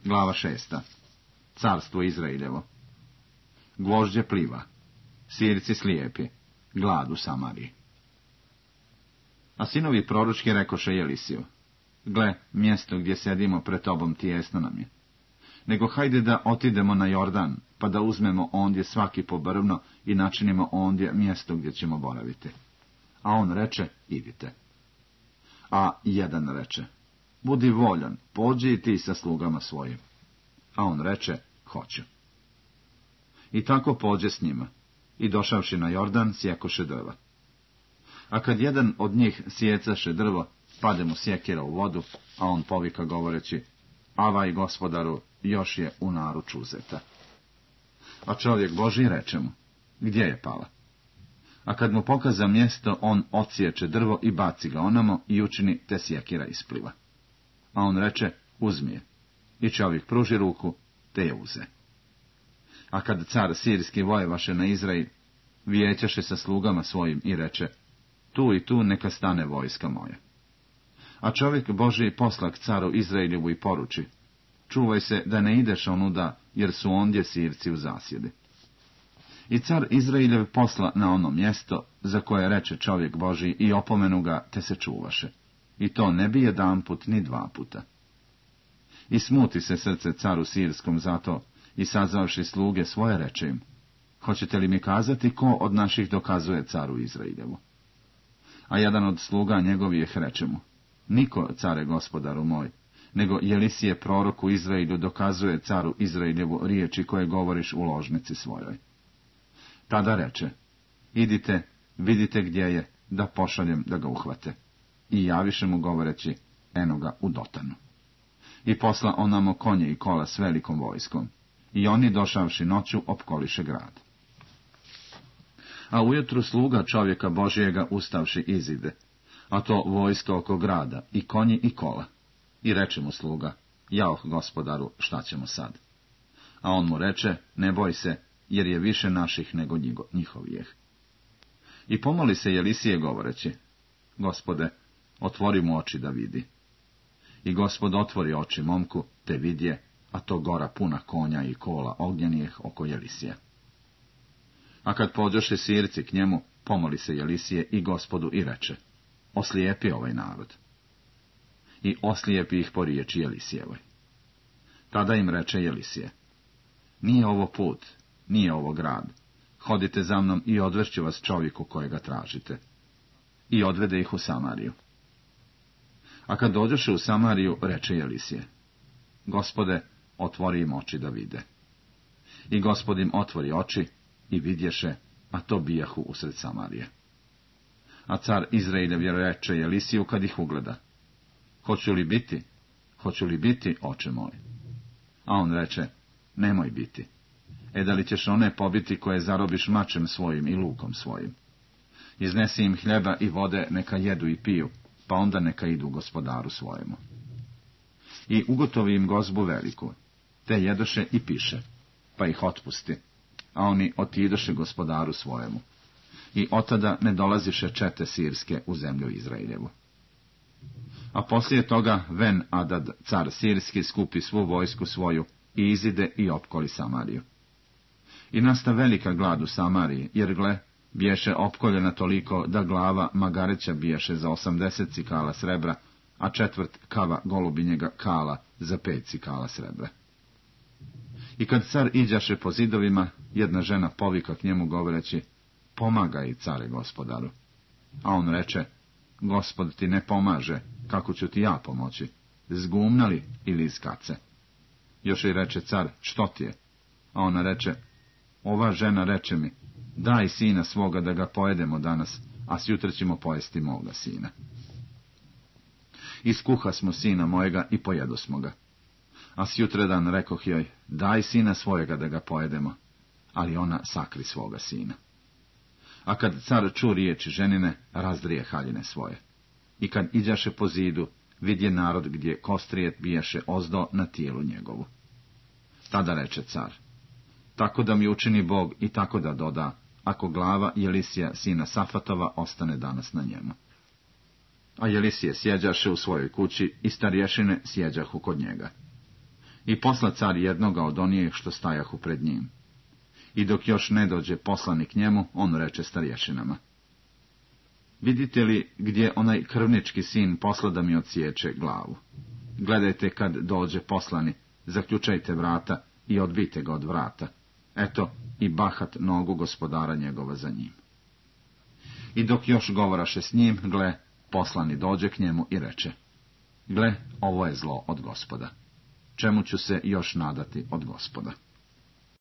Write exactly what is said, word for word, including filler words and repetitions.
Glava šesta. Carstvo Izraeljevo. Gvožđe pliva. Sirci slijepi. Glad u Samariji. A sinovi proročki rekoše Elisiju: Gle, mjesto gdje sedimo pred tobom tijesno nam je. Nego hajde da otidemo na Jordan, pa da uzmemo ondje svaki po brvno i načinimo ondje mjesto gdje ćemo boraviti. A on reče: idite. A jedan reče: budi voljan, pođi i ti sa slugama svojim. A on reče: hoću. I tako pođe s njima, i došavši na Jordan, sjekoše drva. A kad jedan od njih sjecaše drvo, pade mu sjekira u vodu, a on povika govoreći: avaj, gospodaru, još je u naruču uzeta. A čovjek Božji reče mu: gdje je pala? A kad mu pokaza mjesto, on odsječe drvo i baci ga onamo i učini, te sjekira ispliva. A on reče: uzmi je. I čovjek pruži ruku, te je uze. A kad car sirski vojevaše na Izrael, vijećaše sa slugama svojim i reče: tu i tu neka stane vojska moja. A čovjek Božji posla k caru Izraeljevu i poruči: čuvaj se da ne ideš onuda, jer su ondje Sirci u zasjedi. I car Izraeljev posla na ono mjesto, za koje reče čovjek Božji, i opomenu ga, te se čuvaše. I to ne bi jedan put ni dva puta. I smuti se srce caru Sirskom zato, i sazvavši sluge svoje reče im: hoćete li mi kazati ko od naših dokazuje caru Izraeljevu? A jedan od sluga njegovih reče mu: niko, care gospodaru moj, nego Elisije prorok u Izraelju dokazuje caru Izraeljevu riječi koje govoriš u ložnici svojoj. Tada reče: idite, vidite gdje je, da pošaljem da ga uhvate. I javiše mu govoreći: eno ga u Dotanu. I posla onamo konje i kola s velikom vojskom. I oni, došavši noću, opkoliše grad. A ujutru sluga čovjeka Božijega ustavši izide, a to vojsko oko grada, i konji i kola. I reče mu sluga: jaoh, gospodaru, šta ćemo sad? A on mu reče: ne boj se, jer je više naših nego njihovijeh. I pomoli se Elisije govoreći: gospode, otvori mu oči da vidi. I gospod otvori oči momku, te vidje, a to gora puna konja i kola ognjenijeh oko Elisija. A kad pođoše Sirci k njemu, pomoli se Elisije i gospodu i reče: oslijepi ovaj narod. I oslijepi ih po riječi Elisijevoj. Tada im reče Elisije: nije ovo put, nije ovo grad, hodite za mnom i odvešću vas čovjeku kojega tražite. I odvede ih u Samariju. A kad dođoše u Samariju, reče Elisije: gospode, otvori im oči da vide. I gospod im otvori oči, i vidješe, a to bijahu usred Samarije. A car Izraeljev reče Elisiju kad ih ugleda: hoću li biti, hoću li biti, oče moj? A on reče: nemoj biti. E da li ćeš one pobiti koje zarobiš mačem svojim i lukom svojim? Iznesi im hljeba i vode, neka jedu i piju, pa onda neka idu gospodaru svojemu. I ugotovi im gozbu veliku, te jedoše i piše, pa ih otpusti, a oni otidoše gospodaru svojemu. I otada ne dolaziše čete sirske u zemlju Izraeljevu. A poslije toga Ven Adad, car sirski, skupi svu vojsku svoju i izide i opkoli Samariju. I nasta velika glad u Samariji, jer gle, biješe opkoljena toliko da glava magareća biješe za osamdeset cikala srebra, a četvrt kava golubinjega kala za pet cikala srebra. I kad car iđaše po zidovima, jedna žena povika k njemu govoreći: pomagaj, care gospodaru. A on reče: gospod ti ne pomaže, kako ću ti ja pomoći, zgumna li ili iz kace? Još i reče car: što ti je? A ona reče: ova žena reče mi: daj sina svoga da ga pojedemo danas, a sjutra ćemo pojesti moga sina. Iskuha smo sina mojega i pojedosmo ga. A sjutradan rekoh joj: daj sina svojega da ga pojedemo, ali ona sakri svoga sina. A kad car ču riječi ženine, razdrije haljine svoje. I kad iđaše po zidu, vidje narod gdje kostrijet bijaše ozdo na tijelu njegovu. Tada reče car: tako da mi učini Bog i tako da doda, ako glava Elisija sina Safatova ostane danas na njemu. A Elisije sjeđaše u svojoj kući i starješine sjeđahu kod njega. I posla car jednoga od onih što stajahu pred njim. I dok još ne dođe poslanik njemu, on reče starješinama: vidite li gdje onaj krvnički sin posla da mi odsječe glavu? Gledajte kad dođe poslani, zaključajte vrata i odbijte ga od vrata. Eto, i bahat nogu gospodara njegova za njim. I dok još govoraše s njim, gle, poslani dođe k njemu i reče: gle, ovo je zlo od Gospoda. Čemu ću se još nadati od Gospoda?